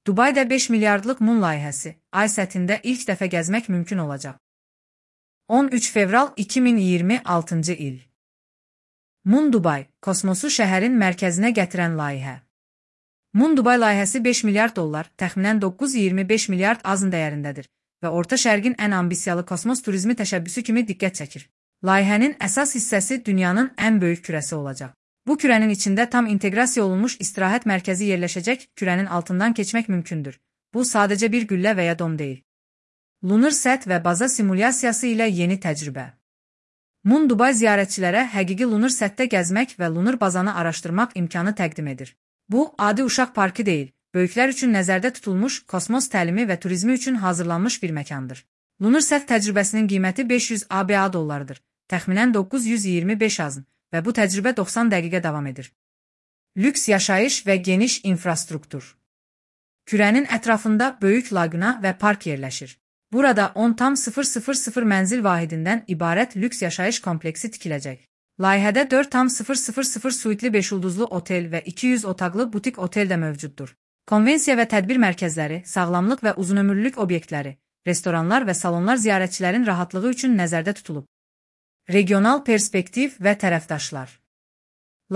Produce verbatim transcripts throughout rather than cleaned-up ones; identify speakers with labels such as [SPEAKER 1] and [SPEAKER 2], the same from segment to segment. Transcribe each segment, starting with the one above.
[SPEAKER 1] Dubayda beş milyardlıq Moon layihəsi, ay səthində ilk dəfə gəzmək mümkün olacaq. on üç fevral iki min iyirmi altıncı il. Moon Dubai, kosmosu şəhərin mərkəzinə gətirən layihə. Moon Dubai layihəsi beş milyard dollar, təxminən doqquz iyirmi beş milyard azın dəyərindədir və Orta Şərqin ən ambisiyalı kosmos turizmi təşəbbüsü kimi diqqət çəkir. Layihənin əsas hissəsi dünyanın ən böyük kürəsi olacaq. Bu kürənin içində tam inteqrasiya olunmuş istirahət mərkəzi yerləşəcək, kürənin altından keçmək mümkündür. Bu sadəcə bir güllə və ya dom deyil. Lunar səth və baza simulyasiyası ilə yeni təcrübə. Moon Dubai ziyarətçilərə həqiqi lunar səthdə gəzmək və lunar bazanı araşdırmaq imkanı təqdim edir. Bu, adi uşaq parkı deyil, böyüklər üçün nəzərdə tutulmuş kosmos təlimi və turizmi üçün hazırlanmış bir məkandır. Lunar səth təcrübəsinin qiyməti beş yüz ABA dollarıdır, təxminən doqquz yüz iyirmi beş azın və bu təcrübə doxsan dəqiqə davam edir. Lüks yaşayış və geniş infrastruktur. Kürənin ətrafında böyük laguna və park yerləşir. Burada on tam sıfır sıfır sıfır mənzil vahidindən ibarət lüks yaşayış kompleksi tikiləcək. Layihədə dörd tam sıfır sıfır sıfır suitli beş ulduzlu otel və iki yüz otaqlı butik otel də mövcuddur. Konvensiya və tədbir mərkəzləri, sağlamlıq və uzunömürlülük obyektləri, restoranlar və salonlar ziyarətçilərin rahatlığı üçün nəzərdə tutulub. Regional perspektiv və tərəfdaşlar.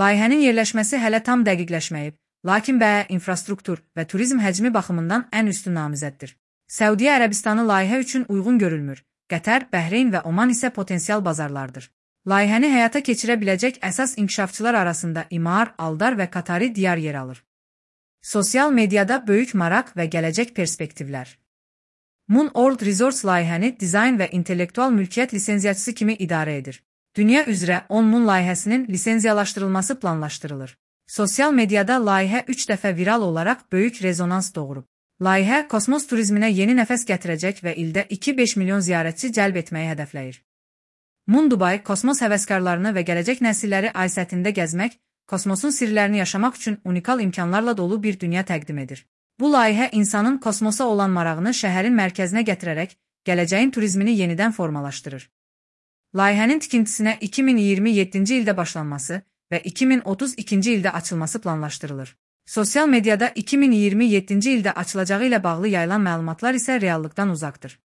[SPEAKER 1] Layihənin yerləşməsi hələ tam dəqiqləşməyib, lakin bəyə, infrastruktur və turizm həcmi baxımından ən üstün namizəddir. Səudiyyə Ərəbistanı layihə üçün uyğun görülmür, Qətər, Bəhreyn və Oman isə potensial bazarlardır. Layihəni həyata keçirə biləcək əsas inkişafçılar arasında İmar, Aldar və Qatari diyar yer alır. Sosial mediada böyük maraq və gələcək perspektivlər. Moon World Resorts layihəni dizayn və intellektual mülkiyyət lisenziyaçısı kimi idarə edir. Dünya üzrə on Moon layihəsinin lisenziyalaşdırılması planlaşdırılır. Sosial mediada layihə üç dəfə viral olaraq böyük rezonans doğurub. Layihə kosmos turizminə yeni nəfəs gətirəcək və ildə iki beş milyon ziyarətçi cəlb etməyi hədəfləyir. Moon Dubai kosmos həvəskarlarını və gələcək nəsilləri ay səthində gəzmək, kosmosun sirlərini yaşamaq üçün unikal imkanlarla dolu bir dünya təqdim edir. Bu layihə insanın kosmosa olan marağını şəhərin mərkəzinə gətirərək, gələcəyin turizmini yenidən formalaşdırır. Layihənin tikintisinə iki min iyirmi yeddinci ildə başlanması və iki min otuz ikinci ildə açılması planlaşdırılır. Sosial mediada iki min iyirmi yeddinci ildə açılacağı ilə bağlı yayılan məlumatlar isə reallıqdan uzaqdır.